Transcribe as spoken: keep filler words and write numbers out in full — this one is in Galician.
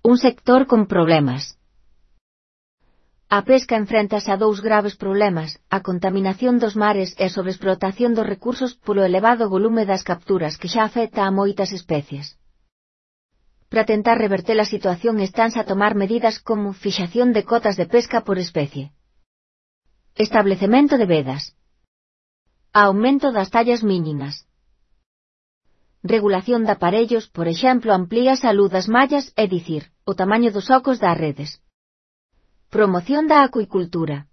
Un sector con problemas. A pesca enfréntase a dous graves problemas, a contaminación dos mares e a sobreexplotación dos recursos polo elevado volume das capturas que xa afecta a moitas especies. Para tentar reverter a situación estanse a tomar medidas como fixación de cotas de pesca por especie, establecemento de vedas, aumento das tallas mínimas, regulación de aparellos, por exemplo, amplíase a luz das mallas, é dicir, o tamaño dos ocos das redes. Promoción da acuicultura.